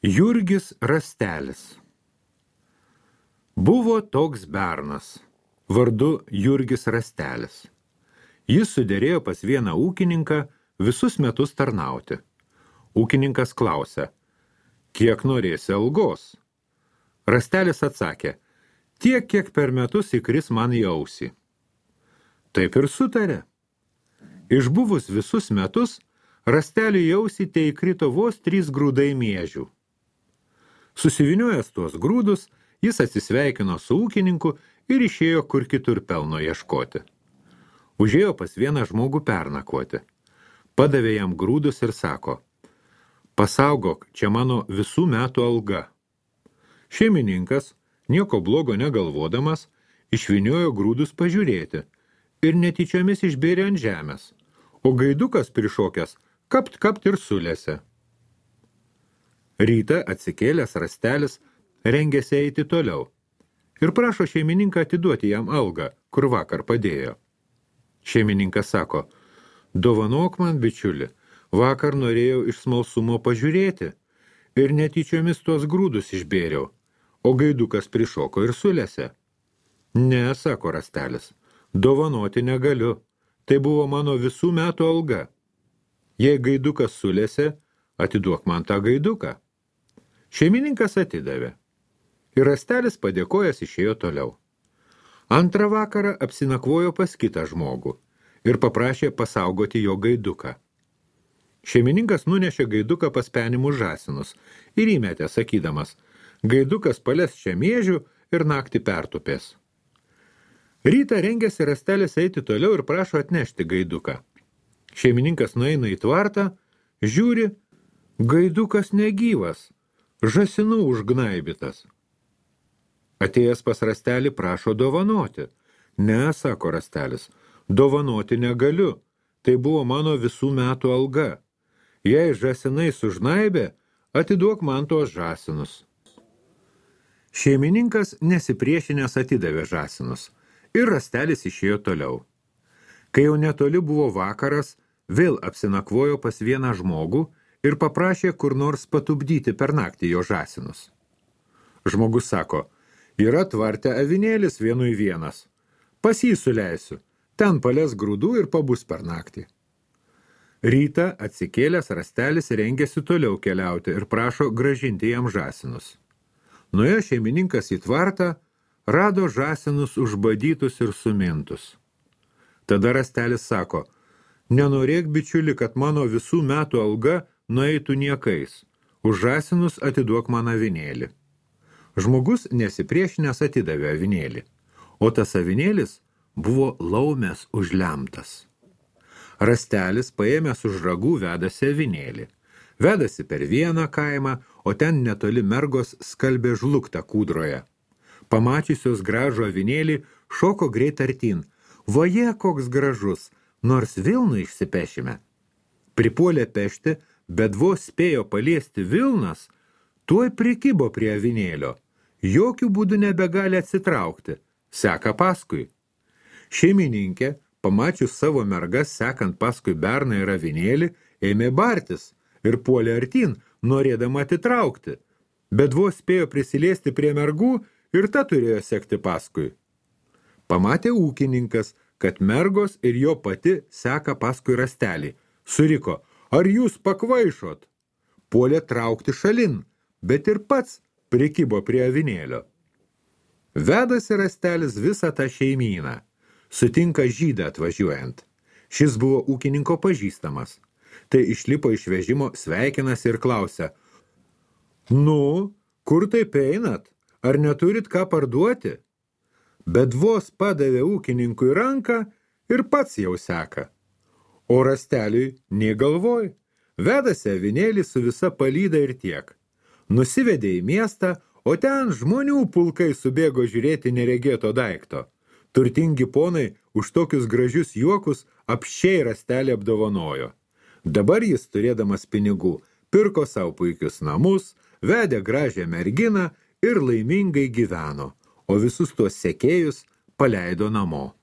Jurgis Rastelis. Buvo toks bernas, vardu Jurgis Rastelis. Jis suderėjo pas vieną ūkininką visus metus tarnauti. Ūkininkas klausė, kiek norėsi algos? Rastelis atsakė, tiek, kiek per metus įkris man į ausį. Taip ir sutarė. Išbuvus visus metus, Rasteliui į ausį te įkrito vos 3 grūdai miežių. Susiviniojęs tuos grūdus, jis atsisveikino su ūkininku ir išėjo kur kitur pelno ieškoti. Užėjo pas vieną žmogų pernakvoti. Padavė jam grūdus ir sako, pasaugok, čia mano visų metų alga. Šeimininkas, nieko blogo negalvodamas, išviniojo grūdus pažiūrėti ir netyčiomis išbėrė ant žemės, o gaidukas prišokęs kapt ir sulėse. Rytą atsikėlęs Rastelis rengėsi eiti toliau ir prašo šeimininką atiduoti jam algą, kur vakar padėjo. Šeimininkas sako, dovanok man, bičiuli, vakar norėjau iš smalsumo pažiūrėti ir netyčiomis tuos grūdus išbėriau, o gaidukas prišoko ir sulėse. Ne, sako Rastelis, dovanoti negaliu, tai buvo mano visų metų alga. Jei gaidukas sulėse, atiduok man tą gaiduką. Šeimininkas atidavė. Ir Rastelis padėkojęs išėjo toliau. Antrą vakarą apsinakvojo pas kitą žmogų ir paprašė pasaugoti jo gaiduką. Šeimininkas nunešė gaiduką pas penimus žąsinus ir įmetė, sakydamas, gaidukas pales čia miežių ir naktį pertupės. Rytą rengėsi Rastelis eiti toliau ir prašo atnešti gaiduką. Šeimininkas nueina į tvartą, žiūri, gaidukas negyvas, žąsinų užgnaibytas. Atėjęs pas Rastelį prašo dovanoti. Ne, sako Rastelis, dovanoti negaliu, tai buvo mano visų metų alga. Jei žąsinai sužnaibė, atiduok man tuos žąsinus. Šeimininkas nesipriešinęs atidavė žąsinus ir Rastelis išėjo toliau. Kai jau netoli buvo vakaras, vėl apsinakvojo pas vieną žmogų ir paprašė kur nors patupdyti per naktį jo žąsinus. Žmogus sako, yra tvarte avinėlis 1:1. Pas jį suleisiu, ten pales grūdų ir pabus per naktį. Rytą atsikėlęs Rastelis rengėsi toliau keliauti ir prašo grąžinti jam žąsinus. Nuėjo šeimininkas į tvartą, rado žąsinus užbadytus ir sumintus. Tada Rastelis sako, nenorėk, bičiuli, kad mano visų metų alga nueitų niekais, už žąsinus atiduok man avinėlį. Žmogus nesipriešinęs atidavė avinėlį, o tas avinėlis buvo laumės užlemtas. Rastelis paėmęs už ragų vedasi avinėlį. Vedasi per vieną kaimą, o ten netoli mergos skalbė žluktą kūdroje. Pamačiusios gražų avinėlį, šoko greit artin. Vaje, koks gražus, nors vilnų išsipešime. Pripuolė pešti, bet vos spėjo paliesti vilnas, tuoj prikibo prie avinėlio. Jokių būdų nebegali atsitraukti, seka paskui. Šeimininkė, pamačius savo mergas sekant paskui berną ir avinėlį, ėmė bartis ir puolė artin, norėdama atitraukti, bet vos spėjo prisiliesti prie mergų ir ta turėjo sekti paskui. Pamatė ūkininkas, kad mergos ir jo pati seka paskui Rastelį. Suriko, ar jūs pakvaišot? Puolė traukti šalin, bet ir pats prikibo prie avinėlio. Vedasi Rastelis visą tą šeimyną. Sutinka žydą atvažiuojant. Šis buvo ūkininko pažįstamas. Tai išlipo iš vežimo, sveikinasi ir klausia, nu, kur taip einat? Ar neturit ką parduoti? Bet vos padavė ūkininkui ranką ir pats jau seka. O Rasteliui nė galvoj. Vedasi avinėlį su visa palyda ir tiek. Nusivedė į miestą, o ten žmonių pulkai subėgo žiūrėti neregėto daikto. Turtingi ponai už tokius gražius juokus apsčiai Rastelį apdovanojo. Dabar jis, turėdamas pinigų, pirko savo puikius namus, vedė gražią merginą ir laimingai gyveno, o visus tuos sekėjus paleido namo.